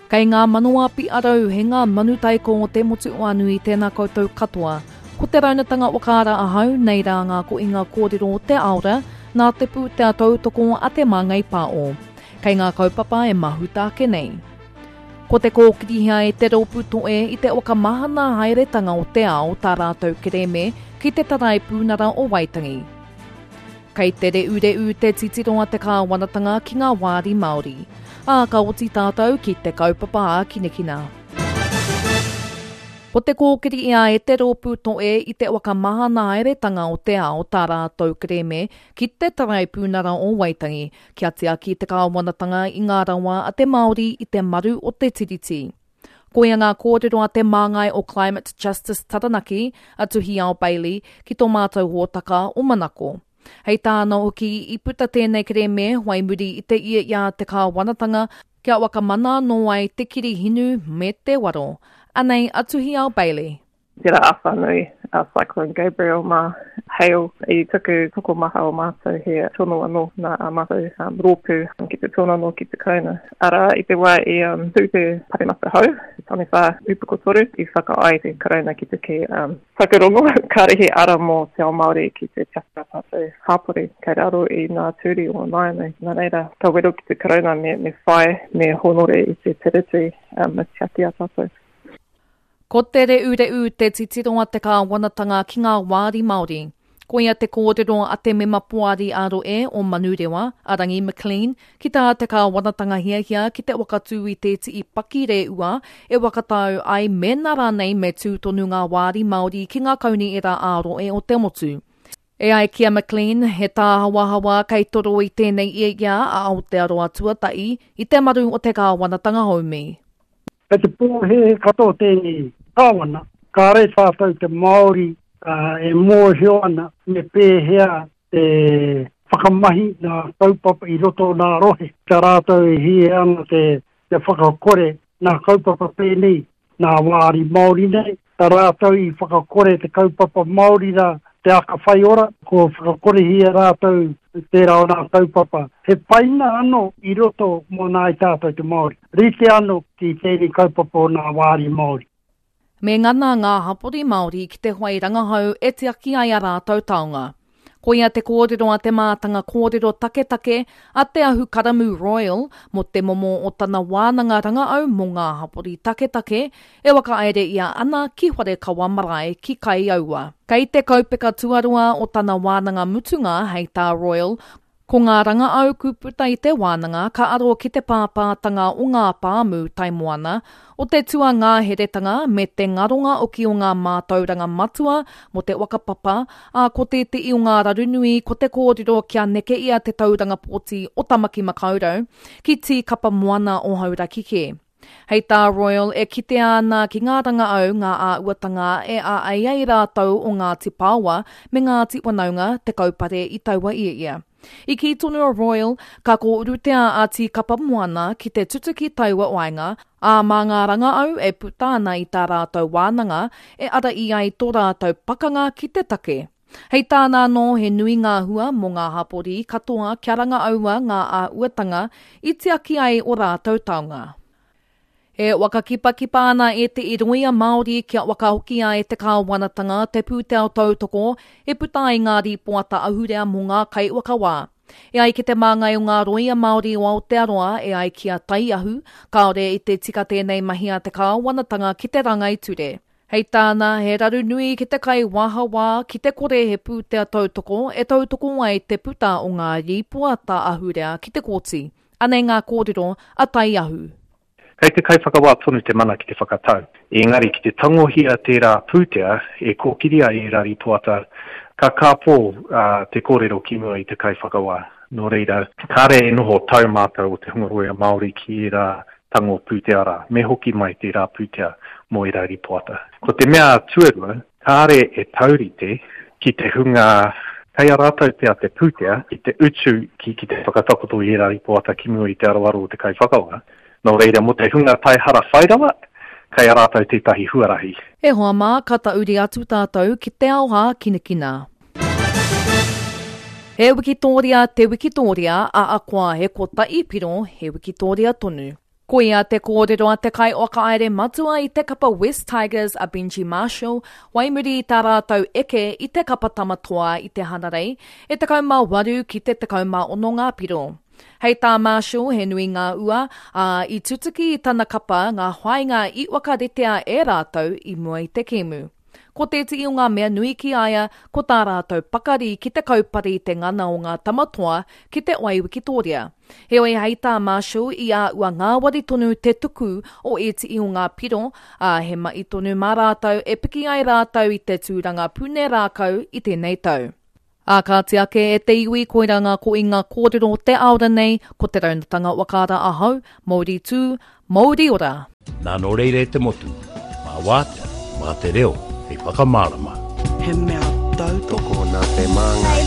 Kei ngā mano a Piarau, he ngā manu taiko o te motu o Anui, tēnā koutou katoa. Ko te raunatanga whakaara ahau, nei rā ngā kohinga kōrero o te aora, nā te pūtea tautoko a Te Māngai Pāo. Kei ngā kaupapa e mahuta ake nei. Ko te kōkirihia e te rōpū toe i te whakamahana haeretanga o te ao tā rātou kerēme ki te Taraipiunara o Waitangi. Kei te reureu te titiro a te kāwanatanga ki ngā wāri Māori. Ā, ka oti tātou ki te kaupapa ākinakina. Ko te kōkiri ia e te rōpū toe i te whakamahana haeretanga o te ao tā rātou kerēme ki te Taraipiunara o Waitangi kia tiaki te kāwanatanga i ngā rawa a te Māori i te maru o te Tiriti. Koia ngā kōrero a te māngai o Climate Justice Taranaki, a Tuhiao Bailey, ki tō mātou hōtaka o Manako. Hei tāna hoki, i puta tēnei kerēme whai muri i te ia i a te kāwanatanga kia whakamana anō ai te kiri hinu me te waro. Anei a Tuhiao Bailey. Tērā āwhā nui a Cyclone Gabriel mā Hale i tuku tokomaha o mātou he tono anō nā ā mātou rōpū ki te tono anō ki te Karauna. Arā, i te wā i tū te paremata hou, te Taniwha Upoko Toru, i whakaae te Karauna ki te kī whakarongo kāre he ara mō te ao Māori ki te tiaki ā tātou hapori kei raro i ngā ture o nāianei. Nā reira, ka wero ki te Karauna me whai, me hōnore i te Tiriti me tiaki ā tātou. Ko te reureu te titiro a te kāwanatanga ki ngā wāri Māori. Koia te kōrero a te mema poari ā-rohe o Manurewa, a Rangi McLean, ki tā te kāwanatanga hiahia ki te whakatū i tētihi pakireua e whakatau ai mēnā rānei me tū tonu ngā wāri Māori ki ngā kaunihera ā-rohe o te motu. E ai ki a McLean, he tāhawahawa kei toro i tēnei ia ia a Aotearoa tuatahi i te maru o te kāwanatanga haumi. Kei te pōhēhē katoa tēnei kāwana, kāre tātou te Māori e mōhio ana me pēhea te whakamahi ngā kaupapa i roto o ngā rohe. Kia rātou e hia ana te whakakore ngā kaupapa pēnei nā wāri Māori nei, tā rātou i whakakore te kaupapa Māori rā, te aka whaiora, kua whakakorehia rātou tērā o nā kaupapa. He paina anō i roto mō nāi tātou te Māori. Rite anō ki tēnei kaupapa o nā wāri Māori. Me ngana ngā hapori Māori ki te whai rangahau e tiaki ai a rātou taonga. Koia te kōrero a te mātanga kōrero taketake a Te Ahukaramū Royal mō te momo o tana wānanga rangaau mō ngā hapori taketake e whakahaere ia ana ki Wharekawa Marae ki Kaiaua. Kei te kaupeka tuarua o tana wānanga mutunga hei tā Royal, Ko ngā rangaau ku puta i te wānanga ka aro ki te pāpātanga o ngā pāmu tai moana, o te tuangāheretanga me te ngaronga oki o ngā mātauranga matua mō te whakapapa, ā, ko tētehi o ngā raru nui ko te kōrero kia neke ia te tauranga pōti o Tamaki Makaurau ki Tīkapa Moana o Hauraki kē. Hei tā Royal, e kitea ana ki ngā rangaau ngā āuatanga e āei ai rātou o Ngāti Paoa me Ngāti Wanaunga te kaupare i taua ia. I kī tonu a Royal, ka kōurutea a Tīkapa Moana ki te tutuki taua waenga, ā, mā ngā rangaau e puta ana i tā rātou wānanga e ara i ai tō rātou pakanga ki te take. Hei tāna anō, he nui ngā hua mō ngā hapori katoa kia rangaaua ngā āhuatanga i tiaki ai o rātou taonga. E whakakipakipa ana ētehi rōia Māori kia whakahokia e te kāwanatanga te pūtea tautoko e puta ai ngā rīpoata ahurea mō ngā kaiwhakawā. E ai ki te māngai o ngā rōia Māori o Aotearoa, e ai ki a Taiahu, kāore i te tika tēnei mahi a te kāwanatanga ki te rāngai ture. Hei tāna, he raru nui ki te kaiwāhawā ki te kore he pūtea tautoko e tautoko ai te puta o ngā rīpoata ahurea ki te kōti. Anei ngā kōrero a Taiahu. Kei te kaiwhakawā tonu te mana ki te whakatau. Engari ki te tangohia tērā pūtea e kōkiri ai ērā rīpoata, ka kāpō te kōrero ki mua i te kaiwhakawā. Nō reira, kāre e noho tau mātou o te hunga rōia Māori ki ērā tango pūtea rā, me hoki mai tērā pūtea mō ērā rīpoata. Ko te mea tuarua, kāre e taurite ki te hunga kei a rātou pea te pūtea ki te utu ki ki te whakatakoto i ērā rīpoata ki mua i te aroaro o te kaiwhakawā. Nō reira, mō te hunga taihara whairawa, kei a rātou tētahi huarahi. E hoa mā, ka tauri atu tātou ki te ao hākinakina. He wikitōria te wikitōria, a akoa he kotahi piro, he wikitōria tonu. Koia te kōrero a te kaiwhakahaere matua i te kapa West Tigers a Benji Marshall, wai muri i tā rātou eke i te kapa Tama Toa i te Hanarei, e 18 ki te 16 ngā piro. Hei tā Marshall he nui ngā ua, ā, i tutuki i tana kapa ngā whāinga i whakaritea e rātou i mua i te kēmu. Ko tētehi o ngā mea nui ki a ia, ko tā rātou pakari ki te kaupare i te ngana o ngā tama toa ki te wai wikitōria. Heoi hei tā Marshall i āhua ngāwari tonu te tuku o ētehi o ngā piro, ā, he mahi tonu mā rātou e piki ai rātou i te tūranga pune rākau i tēnei tau. Ā, kāti ake e te iwi, koirā ngā koinga kōrero o te aora nei, ko te raunatanga whakaara ahau, Mauri tū, Mauri ora! Nā nō reira e te motu, mā wātea, mā te reo hei whakamārama. He mea tautoko. Tokona te māngai.